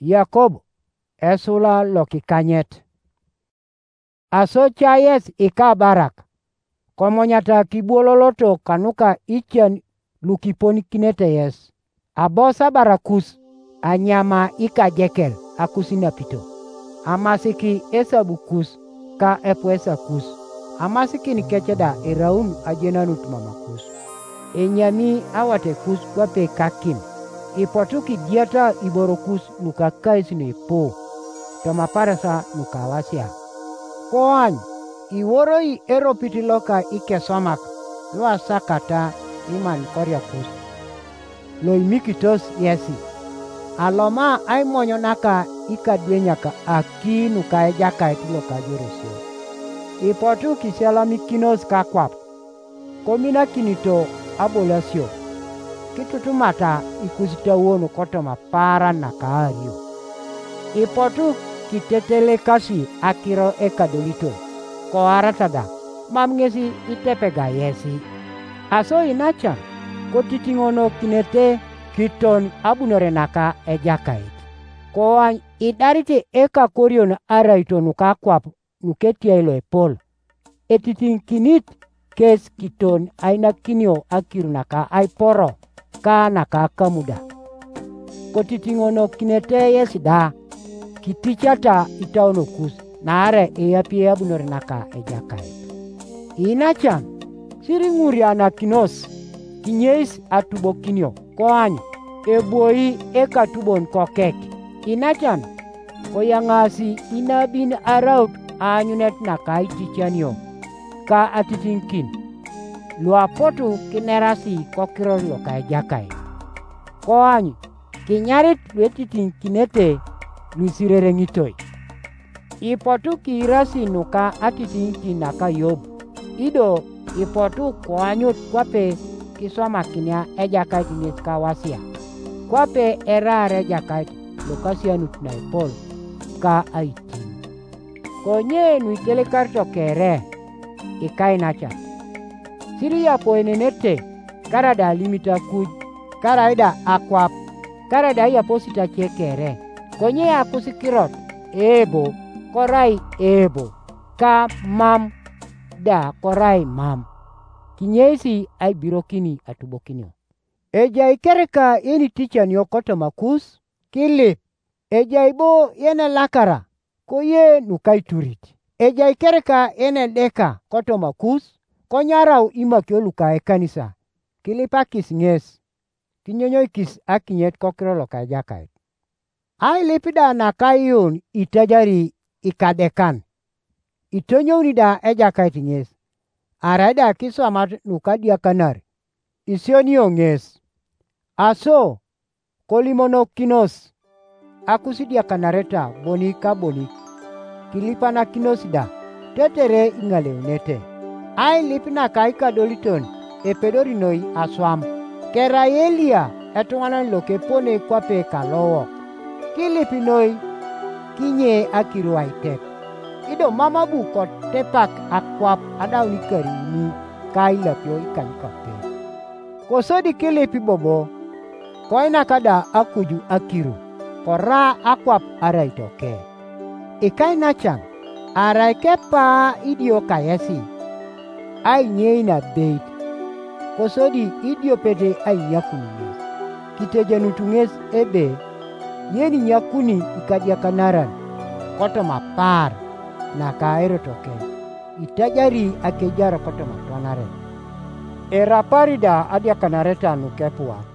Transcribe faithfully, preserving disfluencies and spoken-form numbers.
Yakob, esula lokikanyet. Aso cayes ikabarak, komonyata kibwololoto kanuka icen lukiponikinete yes, abos abarakus, anyama ikajekel akusinapito, amasiki esabukus ka epuesakus, amasikin kec da eraun ajenanut mamakus. Enyami awatekus kwape kakim, ipotu kidiata iborokus nuka kais nuipu, tomaparesa nuka wasia. Koany, iworoi eropit loka ikeswamak luasakata iman koriakus, loimikitos yesi, aloma aimonyo naka ikadwenyak aki nuka Ejakait loka Jorosio. Ipotu kisialamikinos kakwap, kominakinito abolasio, kitutumata ikusitawon kotoma paaran nakaario. Ipotu kitetelekasi akiro ekadoliton, koarata da, mam ŋesi itepega yesi. Aso inacan, kotitiŋonokinete kiton abunore naka Ejakait. Koany idarite ekakorion araito nuka kwap nuketiai loepol, etitiŋikinit kes kiton ainakinio akir naka aiporo ka naka kamuda. Kotitiŋonokinete yes da, kiticata itaunokus, naarai eyapi abunore naka Ejakait. Inacan, siriŋurianakinos, kinyeis atubokinio, koany, ebwoi ekatubon kokek. Inacan, koyaŋasi inabin araut aanyunet naka aiticanio ka atitiŋikin, luapotu kinerasi kokiror loka Ejakait. Koany, kinyarit luetitiŋikinete luisirereŋitoi. Ipotu kiirasi nuka atitiŋikin naka Yob, ido ipotu koanyut kwape kiswamakinia Ejakait ŋes kawasia, kwape eraar Ejakait lokasianut naepol ka aitiŋ. Konye nuitelekarito kere, ikainacan, siriyapoenenete, karaida alimit akuj, karaida akwap, karaida ayaposit ace kere, konye akusikirot, eebo, korai eebo, ka mam da korai mam, kinyeisi aibirokini atubokinio. Ejai kereka yeniticanio kotomakus, kilip, ejai bo yenelakara, koye nukaiturit. Ejai kereka yenedeka kotomakus, konyarau imakio luka ekanisa, kilipakis ŋes, kinyonyoikis akinyet kokiro loka Ejakait. Ailip da nakaiun itajari ikadekan, itonyouni da Ejakait ŋes, arai da kiswamat nukadiakanar, isionio ŋes. Aso, kolimonokinos akusidiakanareta bonik ka bonik, kilipanakinos da, tetere iŋaleunete. Ailip naka ikadoliton epedori noi aswam, kerai Eliya etuŋanan lokepone kwape kalowok. Kilip noi kinye akiru aitek, ido mam abu kotepak akwap adaun ikariuni ka ilapio ikanykape. Kosodi kilip bobo, koinak da akuju akiru, kora akwap arai toke. Ikainacan, arai kepaa idio kayesi, ainyei nabeit, kosodi idiopet ainyakun ŋes, kitejenut ŋes ebe, yeninyakuni ikadiakanaran kotoma paar naka erotoke, itajari akejar kotoma twanare. Erapari da adiakanareta nukepuak,